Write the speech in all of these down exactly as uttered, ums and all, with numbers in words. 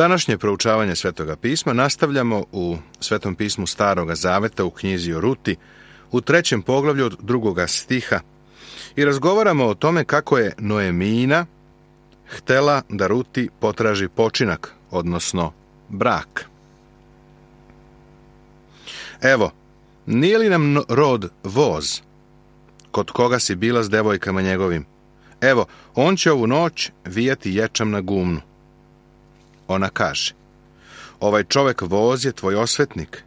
Današnje proučavanje Svetoga pisma nastavljamo u Svetom pismu Staroga zaveta u knjizi o Ruti, u trećem poglavlju od drugoga stiha i razgovaramo o tome kako je Noemina htela da Ruti potraži počinak, odnosno brak. Evo, nije li nam rod voz, kod koga si bila s devojkama njegovim? Evo, on će ovu noć vijati ječam na gumnu. Ona kaže, ovaj čovek voz je tvoj osvetnik.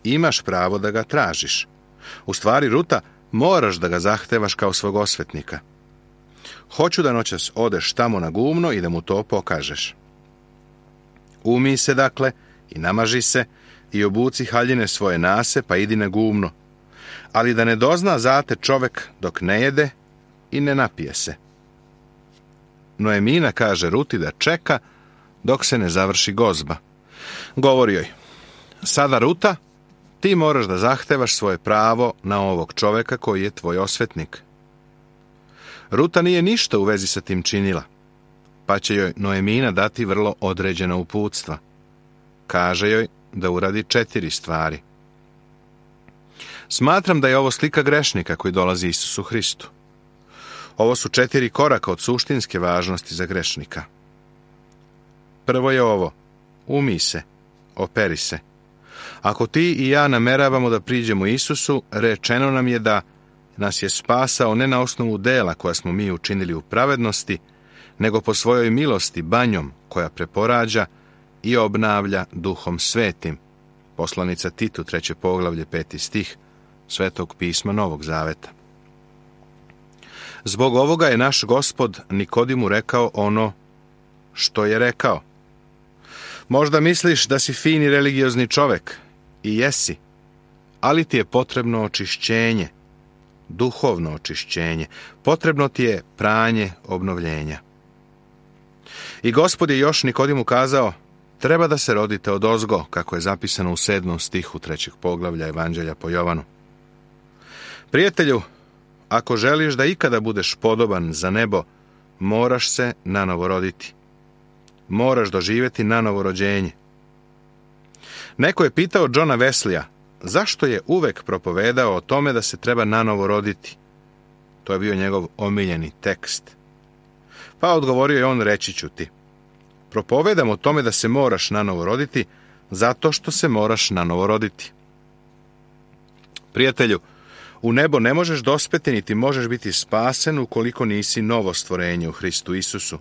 Imaš pravo da ga tražiš. U stvari, Ruta, moraš da ga zahtevaš kao svog osvetnika. Hoću da noćas odeš tamo na gumno i da mu to pokažeš. Umij se, dakle, i namaži se, i obuci haljine svoje nase, pa idi na gumno. Ali da ne dozna zate čovek dok ne jede i ne napije se. Noemina kaže Ruti da čeka dok se ne završi gozba. Govori joj, sada Ruta, ti moraš da zahtevaš svoje pravo na ovog čoveka koji je tvoj osvetnik. Ruta nije ništa u vezi sa tim činila, pa će joj Noemina dati vrlo određena uputstva. Kaže joj da uradi četiri stvari. Smatram da je ovo slika grešnika koji dolazi Isusu Hristu. Ovo su četiri koraka od suštinske važnosti za grešnika. Prvo je ovo, umij se, operi se. Ako ti i ja nameravamo da priđemo Isusu, rečeno nam je da nas je spasao ne na osnovu dela koja smo mi učinili u pravednosti, nego po svojoj milosti banjom koja preporađa i obnavlja Duhom Svetim. Poslanica Titu, treće poglavlje, peti stih, Svetog pisma Novog Zaveta. Zbog ovoga je naš Gospod Nikodimu rekao ono što je rekao. Možda misliš da si fini religiozni čovek, i jesi, ali ti je potrebno očišćenje, duhovno očišćenje, potrebno ti je pranje obnovljenja. I Gospod je još Nikodimu kazao, treba da se rodite odozgo, kako je zapisano u sedmom stihu trećeg poglavlja Evanđelja po Jovanu. Prijatelju, ako želiš da ikada budeš podoban za nebo, moraš se nanovo roditi. Moraš doživjeti nanovo rođenje. Neko je pitao Johna Wesleya, zašto je uvek propovedao o tome da se treba nanovo roditi? To je bio njegov omiljeni tekst. Pa odgovorio je on, reći ću ti. Propovedam o tome da se moraš nanovo roditi, zato što se moraš nanovo roditi. Prijatelju, u nebo ne možeš dospeti, niti možeš biti spasen ukoliko nisi novo stvorenje u Hristu Isusu.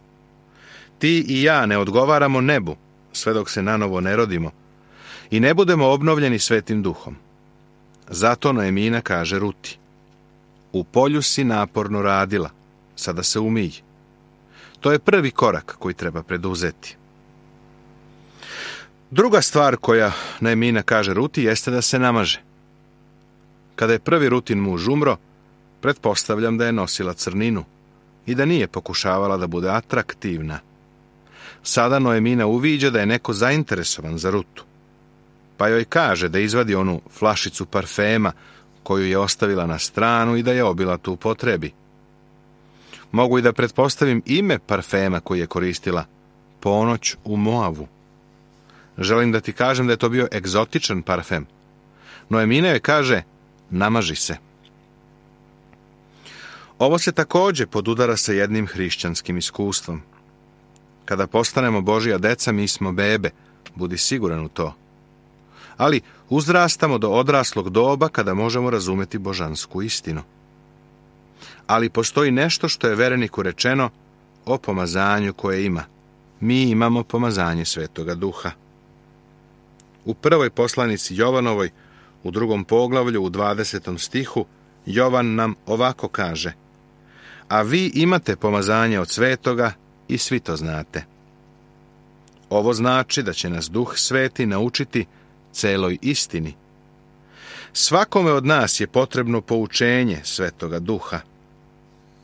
Ti i ja ne odgovaramo nebu, sve dok se nanovo ne rodimo, i ne budemo obnovljeni Svetim Duhom. Zato Noemina kaže Ruti, u polju si naporno radila, sada se umij. To je prvi korak koji treba preduzeti. Druga stvar koja Noemina kaže Ruti jeste da se namaže. Kada je prvi Rutin muž umro, pretpostavljam da je nosila crninu i da nije pokušavala da bude atraktivna. Sada Noemina uviđa da je neko zainteresovan za Rutu, pa joj kaže da izvadi onu flašicu parfema koju je ostavila na stranu i da je obilat u upotrebi. Mogu i da pretpostavim ime parfema koji je koristila, Ponoć u Moavu. Želim da ti kažem da je to bio egzotičan parfem. Noemina joj kaže, namaži se. Ovo se također podudara sa jednim hrišćanskim iskustvom. Kada postanemo Božja deca, mi smo bebe, budi siguran u to. Ali uzrastamo do odraslog doba kada možemo razumjeti božansku istinu. Ali postoji nešto što je vereniku rečeno o pomazanju koje ima. Mi imamo pomazanje Svetoga Duha. U prvoj poslanici Jovanovoj, u drugom poglavlju, u dvadesetom stihu, Jovan nam ovako kaže, a vi imate pomazanje od Svetoga i svi to znate. Ovo znači da će nas Duh Sveti naučiti celoj istini. Svakome od nas je potrebno poučenje Svetoga Duha.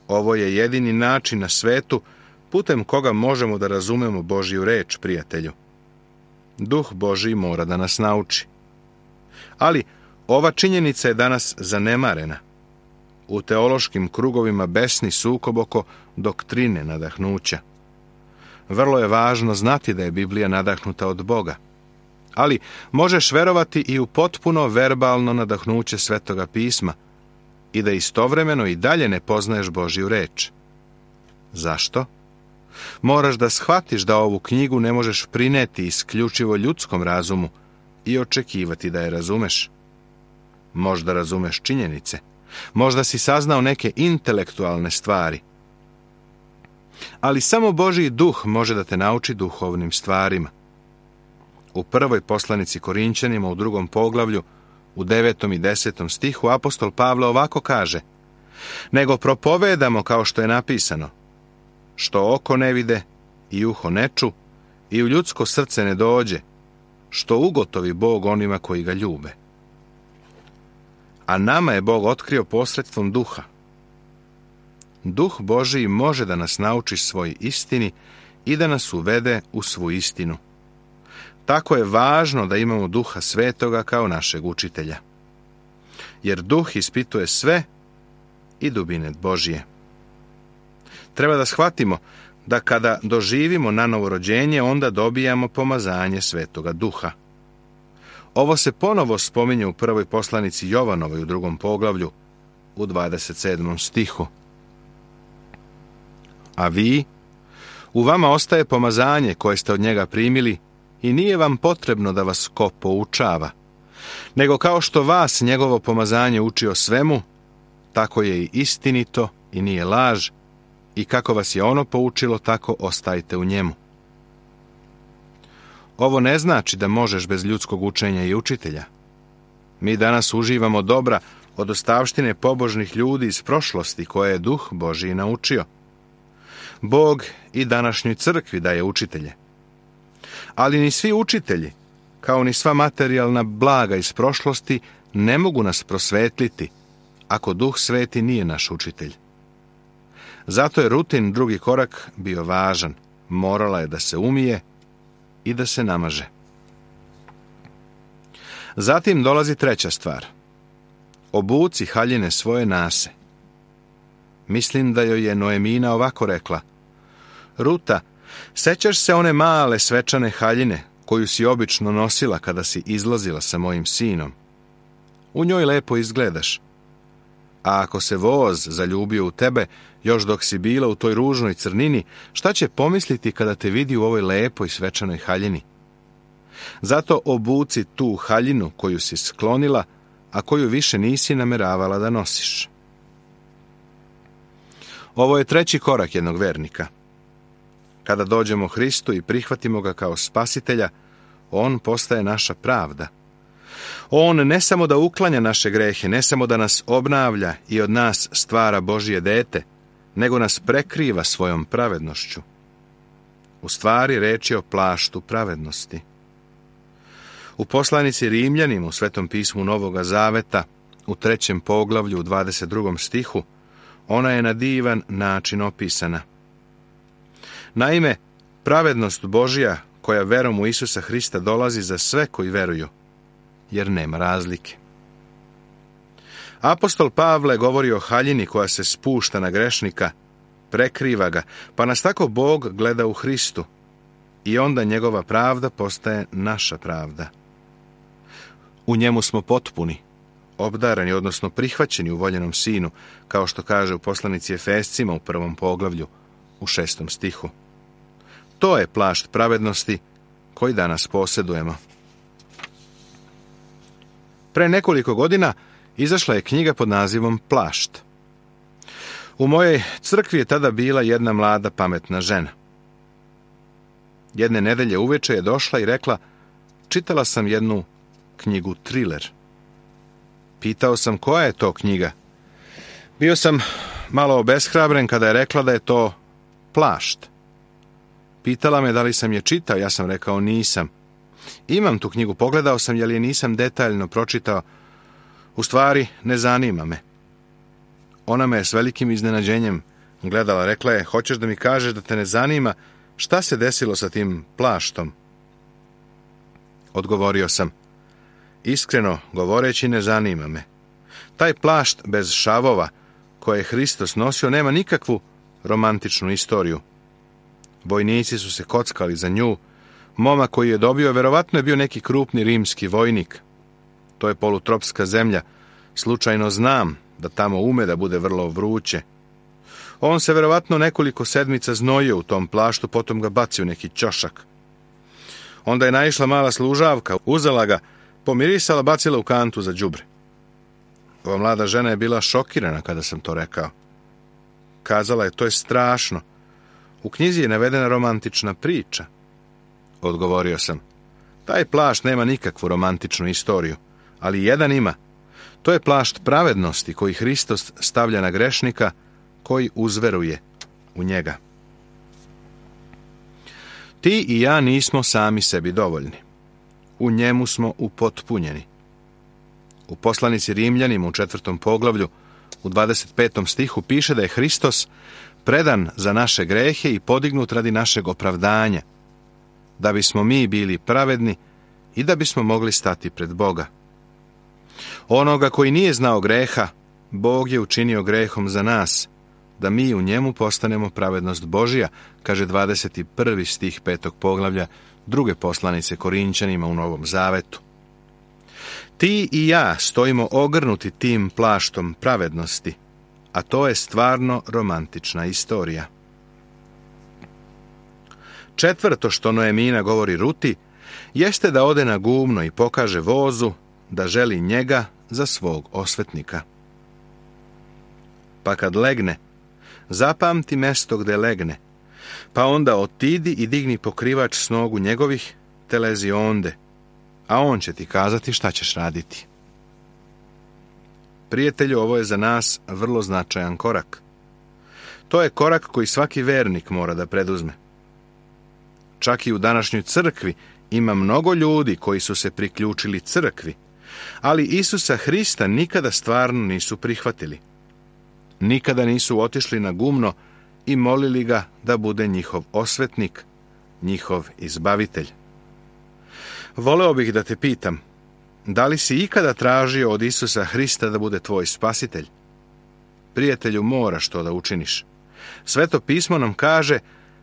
Ovo je jedini način na svetu putem koga možemo da razumemo Božju reč, prijatelju. Duh Božji mora da nas nauči. Ali ova činjenica je danas zanemarena. U teološkim krugovima besni sukob oko doktrine nadahnuća. vrlo je važno znati da je Biblija nadahnuta od Boga. Ali možeš verovati i u potpuno verbalno nadahnuće Svetoga pisma i da istovremeno i dalje ne poznaješ Božju reč. Zašto? Moraš da shvatiš da ovu knjigu ne možeš prineti isključivo ljudskom razumu i očekivati da je razumeš. Možda razumeš činjenice, možda si saznao neke intelektualne stvari, ali samo Božji duh može da te nauči duhovnim stvarima. U prvoj poslanici Korinćanima u drugom poglavlju, u devetom i desetom stihu, apostol Pavle ovako kaže: nego propovedamo kao što je napisano, što oko ne vide i uho ne ču i u ljudsko srce ne dođe, što ugotovi Bog onima koji ga ljube. A nama je Bog otkrio posredstvom duha. Duh Božiji može da nas nauči svoj istini i da nas uvede u svu istinu. Tako je važno da imamo Duha Svetoga kao našeg učitelja. Jer Duh ispituje sve i dubine Božije. Treba da shvatimo da kada doživimo nanovo rođenje, onda dobijamo pomazanje Svetoga Duha. Ovo se ponovo spominje u prvoj poslanici Jovanovoj u drugom poglavlju, u dvadeset sedmom stihu. A vi, u vama ostaje pomazanje koje ste od njega primili i nije vam potrebno da vas ko poučava, nego kao što vas njegovo pomazanje uči o svemu, tako je i istinito i nije laž, i kako vas je ono poučilo, tako ostajte u njemu. Ovo ne znači da možeš bez ljudskog učenja i učitelja. Mi danas uživamo dobra od ostavštine pobožnih ljudi iz prošlosti koje je Duh Božiji naučio. Bog i današnjoj crkvi daje učitelje. Ali ni svi učitelji, kao ni sva materijalna blaga iz prošlosti, ne mogu nas prosvetliti ako Duh Sveti nije naš učitelj. Zato je Rutin drugi korak bio važan. Morala je da se umije i da se namaže. Zatim dolazi treća stvar. Obuci haljine svoje nase. Mislim da joj je Noemina ovako rekla: Ruta, sećaš se one male svečane haljine koju si obično nosila kada si izlazila sa mojim sinom? U njoj lepo izgledaš. A ako se voz zaljubio u tebe, još dok si bila u toj ružnoj crnini, šta će pomisliti kada te vidi u ovoj lepoj svečanoj haljini? Zato obuci tu haljinu koju si sklonila, a koju više nisi nameravala da nosiš. Ovo je treći korak jednog vernika. Kada dođemo Hristu i prihvatimo ga kao spasitelja, on postaje naša pravda. On ne samo da uklanja naše grehe, ne samo da nas obnavlja i od nas stvara Božje dete, nego nas prekriva svojom pravednošću. U stvari reč je o plaštu pravednosti. U poslanici Rimljanima u Svetom pismu Novoga Zaveta, u trećem poglavlju u dvadeset drugom stihu, ona je na divan način opisana. Naime, pravednost Božja koja verom u Isusa Hrista dolazi za sve koji veruju, jer nema razlike. Apostol Pavle govori o haljini koja se spušta na grešnika, prekriva ga, pa nas tako Bog gleda u Hristu i onda njegova pravda postaje naša pravda. U njemu smo potpuni, obdarani, odnosno prihvaćeni u voljenom Sinu, kao što kaže u poslanici Efescima u prvom poglavlju, u šestom stihu. To je plašt pravednosti koji danas posjedujemo. Pre nekoliko godina izašla je knjiga pod nazivom Plašt. U mojoj crkvi je tada bila jedna mlada pametna žena. Jedne nedelje uveče je došla i rekla: čitala sam jednu knjigu triler. Pitao sam koja je to knjiga. Bio sam malo obeshrabren kada je rekla da je to Plašt. Pitala me da li sam je čitao, ja sam rekao nisam. Imam tu knjigu, pogledao sam, jer je nisam detaljno pročitao. U stvari, ne zanima me. Ona me je s velikim iznenađenjem gledala, rekla je: hoćeš da mi kažeš da te ne zanima šta se desilo sa tim plaštom? Odgovorio sam: iskreno govoreći, ne zanima me. Taj plašt bez šavova koje je Hristos nosio nema nikakvu romantičnu istoriju. Vojnici su se kockali za nju. Momak koji je dobio, verovatno je bio neki krupni rimski vojnik. To je polutropska zemlja. Slučajno znam da tamo ume da bude vrlo vruće. On se verovatno nekoliko sedmica znojio u tom plaštu, potom ga bacio u neki ćošak. Onda je naišla mala služavka, uzela ga, pomirisala, bacila u kantu za đubre. Ova mlada žena je bila šokirana kada sam to rekao. Kazala je, to je strašno. U knjizi je navedena romantična priča. Odgovorio sam, taj plašt nema nikakvu romantičnu istoriju, ali jedan ima. To je plašt pravednosti koji Hristos stavlja na grešnika koji uzveruje u njega. Ti i ja nismo sami sebi dovoljni. U njemu smo upotpunjeni. U poslanici Rimljanima u četvrtom poglavlju, u dvadeset petom stihu piše da je Hristos predan za naše grehe i podignut radi našeg opravdanja, da bismo mi bili pravedni i da bismo mogli stati pred Boga. Onoga koji nije znao greha, Bog je učinio grehom za nas, da mi u njemu postanemo pravednost Božja, kaže dvadeset prvi stih petog poglavlja druge poslanice Korinćanima u Novom Zavetu. Ti i ja stojimo ogrnuti tim plaštom pravednosti, a to je stvarno romantična istorija. Četvrto što Noemina govori Ruti, jeste da ode na gumno i pokaže vozu da želi njega za svog osvetnika. Pa kad legne, zapamti mesto gde legne, pa onda otidi i digni pokrivač s nogu njegovih, te lezi onde, a on će ti kazati šta ćeš raditi. Prijatelju, ovo je za nas vrlo značajan korak. To je korak koji svaki vernik mora da preduzme. Čak i u današnjoj crkvi ima mnogo ljudi koji su se priključili crkvi, ali Isusa Hrista nikada stvarno nisu prihvatili. Nikada nisu otišli na gumno i molili ga da bude njihov osvetnik, njihov izbavitelj. Voleo bih da te pitam, da li si ikada tražio od Isusa Hrista da bude tvoj spasitelj? Prijatelju, moraš to da učiniš. Sveto pismo nam kaže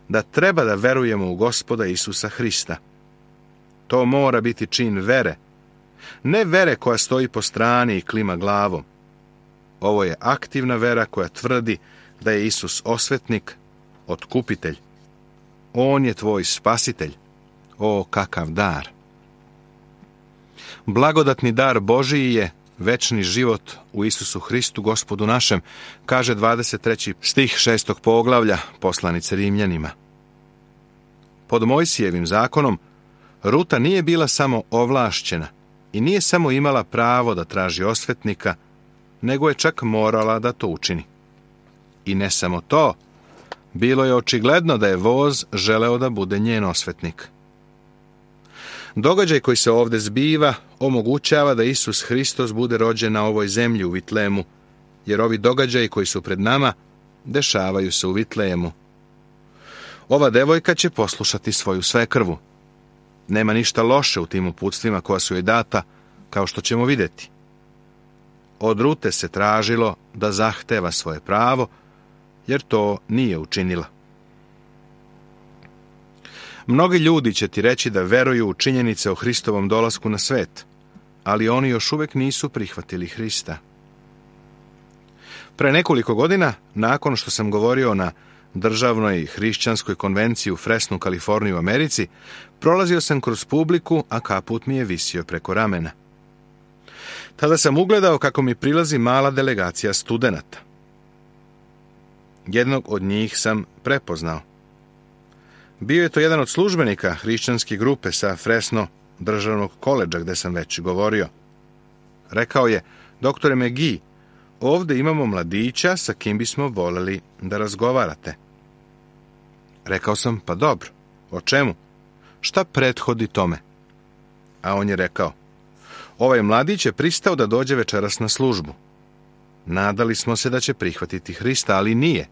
da treba da verujemo u Gospoda Isusa Hrista. To mora biti čin vere. Ne vere koja stoji po strani i klima glavom. Ovo je aktivna vera koja tvrdi da je Isus osvetnik, otkupitelj. On je tvoj spasitelj. O, kakav dar! Blagodatni dar Božiji je večni život u Isusu Hristu, Gospodu našem, kaže dvadeset treći stih šestog poglavlja poslanice Rimljanima. Pod Mojsijevim zakonom Ruta nije bila samo ovlašćena i nije samo imala pravo da traži osvetnika, nego je čak morala da to učini. I ne samo to, bilo je očigledno da je voz želeo da bude njen osvetnik. Događaj koji se ovdje zbiva omogućava da Isus Hristos bude rođen na ovoj zemlji u Vitlemu, jer ovi događaji koji su pred nama dešavaju se u Vitlemu. Ova devojka će poslušati svoju svekrvu. Nema ništa loše u tim uputstvima koja su joj data, kao što ćemo vidjeti. Od Rute se tražilo da zahteva svoje pravo, jer to nije učinila. Mnogi ljudi će ti reći da veruju u činjenice o Hristovom dolasku na svet, ali oni još uvijek nisu prihvatili Hrista. Pre nekoliko godina, nakon što sam govorio na državnoj hrišćanskoj konvenciji u Fresnu, Kaliforniji u Americi, prolazio sam kroz publiku, a kaput mi je visio preko ramena. Tada sam ugledao kako mi prilazi mala delegacija studenata. Jednog od njih sam prepoznao. Bio je to jedan od službenika hrišćanske grupe sa Fresno državnog koledža gde sam već govorio. Rekao je, doktore McGee, ovdje imamo mladića sa kim bismo voljeli da razgovarate. Rekao sam, pa dobro, o čemu? Šta prethodi tome? A on je rekao, ovaj mladić je pristao da dođe večeras na službu. Nadali smo se da će prihvatiti Hrista, ali nije.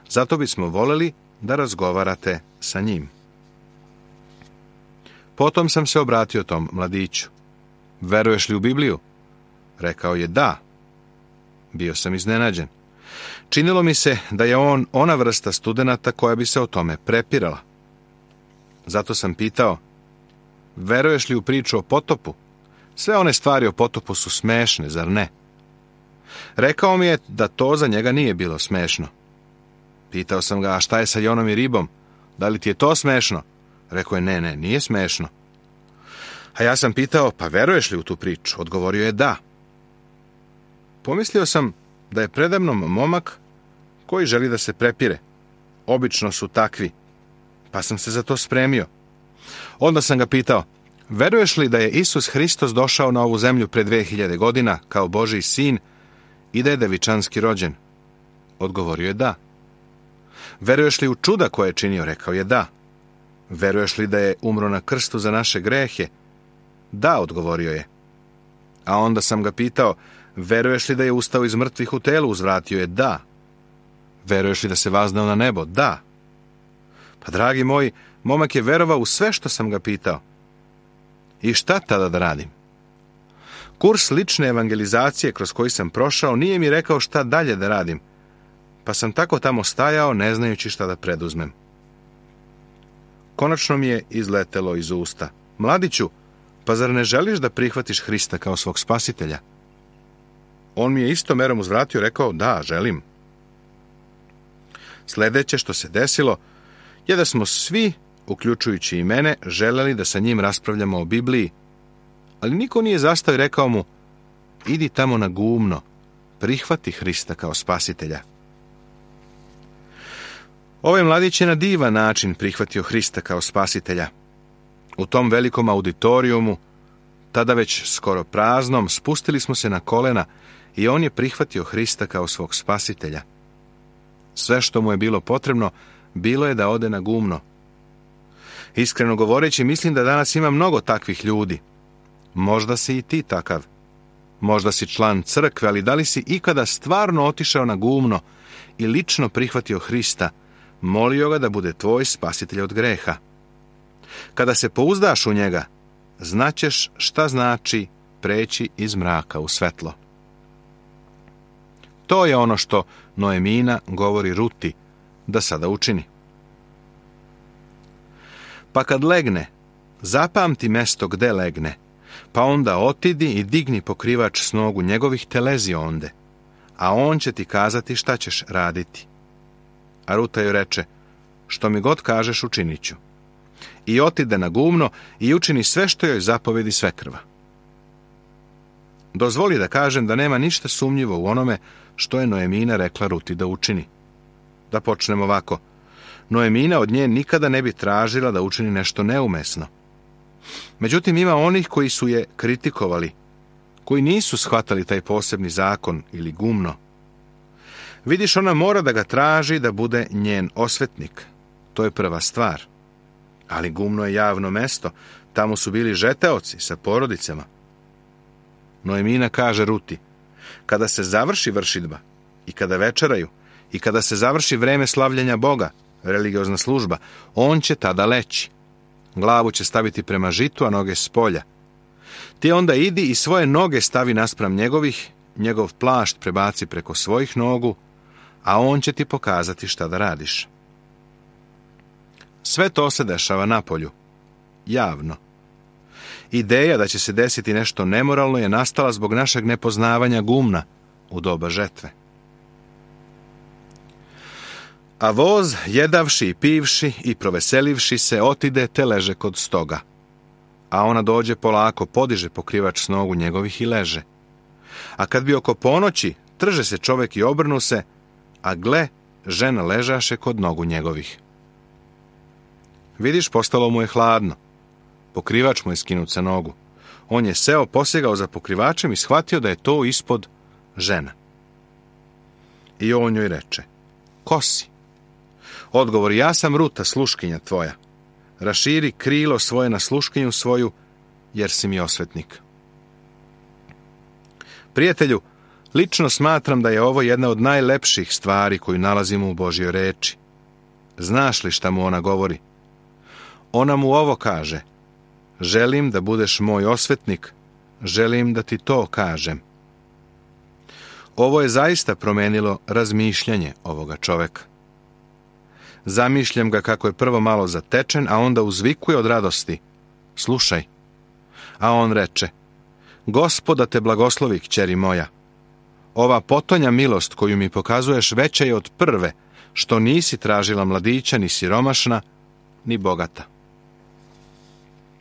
Zato bismo voljeli da razgovarate sa njim. Potom sam se obratio tom mladiću. Veruješ li u Bibliju? Rekao je da. Bio sam iznenađen. Činilo mi se da je on ona vrsta studenata koja bi se o tome prepirala. Zato sam pitao, veruješ li u priču o potopu? Sve one stvari o potopu su smešne, zar ne? Rekao mi je da to za njega nije bilo smešno. Pitao sam ga, a šta je sa Jonom i ribom? Da li ti je to smešno? Rekao je, ne, ne, nije smešno. A ja sam pitao, pa veruješ li u tu priču? Odgovorio je da. Pomislio sam da je predamnom momak koji želi da se prepire. Obično su takvi, pa sam se za to spremio. Onda sam ga pitao, veruješ li da je Isus Hristos došao na ovu zemlju pre dve hiljade godina kao Božji sin i da je devičanski rođen? Odgovorio je da. Veruješ li u čuda koje je činio? Rekao je da. Veruješ li da je umro na krstu za naše grehe? Da, odgovorio je. A onda sam ga pitao, veruješ li da je ustao iz mrtvih u telu? Uzvratio je da. Veruješ li da se vaznao na nebo? Da. Pa, dragi moji, momak je verovao u sve što sam ga pitao. I šta tada da radim? Kurs lične evangelizacije kroz koji sam prošao nije mi rekao šta dalje da radim, pa sam tako tamo stajao ne znajući šta da preduzmem. Konačno mi je izletelo iz usta. Mladiću, pa zar ne želiš da prihvatiš Hrista kao svog spasitelja? On mi je istom merom uzvratio, rekao, da, želim. Sljedeće što se desilo je da smo svi, uključujući i mene, želeli da sa njim raspravljamo o Bibliji, ali niko nije zastao i rekao mu, idi tamo na gumno, prihvati Hrista kao spasitelja. Ovaj mladić je na divan način prihvatio Hrista kao spasitelja. U tom velikom auditorijumu, tada već skoro praznom, spustili smo se na kolena i on je prihvatio Hrista kao svog spasitelja. Sve što mu je bilo potrebno, bilo je da ode na gumno. Iskreno govoreći, mislim da danas ima mnogo takvih ljudi. Možda si i ti takav. Možda si član crkve, ali da li si ikada stvarno otišao na gumno i lično prihvatio Hrista, molio ga da bude tvoj spasitelj od greha? Kada se pouzdaš u njega, znaćeš šta znači preći iz mraka u svetlo. To je ono što Noemina govori Ruti da sada učini. Pa kad legne, zapamti mesto gde legne, pa onda otidi i digni pokrivač s nogu njegovih, te lezi onde, a on će ti kazati šta ćeš raditi. A Ruta joj reče, što mi god kažeš učinit ću. I otide na gumno i učini sve što joj zapovedi svekrva. Dozvoli da kažem da nema ništa sumnjivo u onome što je Noemina rekla Ruti da učini. Da počnemo ovako. Noemina od nje nikada ne bi tražila da učini nešto neumesno. Međutim, ima onih koji su je kritikovali, koji nisu shvatali taj posebni zakon ili gumno. Vidiš, ona mora da ga traži da bude njen osvetnik. To je prva stvar. Ali gumno je javno mesto. Tamo su bili žeteoci sa porodicama. Noemina kaže Ruti, kada se završi vršidba i kada večeraju i kada se završi vreme slavljenja Boga, religiozna služba, on će tada leći. Glavu će staviti prema žitu, a noge s polja. Ti onda idi i svoje noge stavi naspram njegovih, njegov plašt prebaci preko svojih nogu, a on će ti pokazati šta da radiš. Sve to se dešava napolju, javno. Ideja da će se desiti nešto nemoralno je nastala zbog našeg nepoznavanja gumna u doba žetve. A voz, jedavši i pivši i proveselivši se, otide te leže kod stoga. A ona dođe polako, podiže pokrivač s nogu njegovih i leže. A kad bi oko ponoći, trže se čovek i obrnu se, a gle, žena ležaše kod nogu njegovih. Vidiš, postalo mu je hladno. Pokrivač mu je skinut sa nogu. On je seo, posegao za pokrivačem i shvatio da je to ispod žena. I on joj reče, ko si? Odgovor, ja sam Ruta, sluškinja tvoja. Raširi krilo svoje na sluškinju svoju, jer si mi osvetnik. Prijatelju, lično smatram da je ovo jedna od najlepših stvari koju nalazimo u Božjoj reči. Znaš li šta mu ona govori? Ona mu ovo kaže, želim da budeš moj osvetnik, želim da ti to kažem. Ovo je zaista promenilo razmišljanje ovoga čoveka. Zamišljam ga kako je prvo malo zatečen, a onda uzvikuje od radosti: slušaj. A on reče: Gospoda te blagoslovi, kćeri moja. Ova potonja milost koju mi pokazuješ veća je od prve, što nisi tražila mladića, ni siromašna, ni bogata.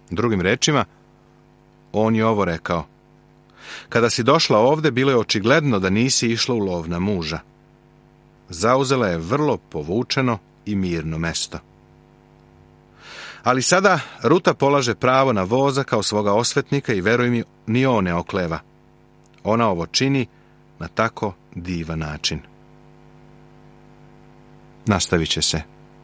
Drugim rečima, on je ovo rekao: kada si došla ovde, bilo je očigledno da nisi išla u lov na muža. Zauzela je vrlo povučeno i mirno mesto. Ali sada Ruta polaže pravo na voza kao svoga osvetnika i veruj mi, ni on ne okleva. Ona ovo čini na tako divan način. Nastavit će se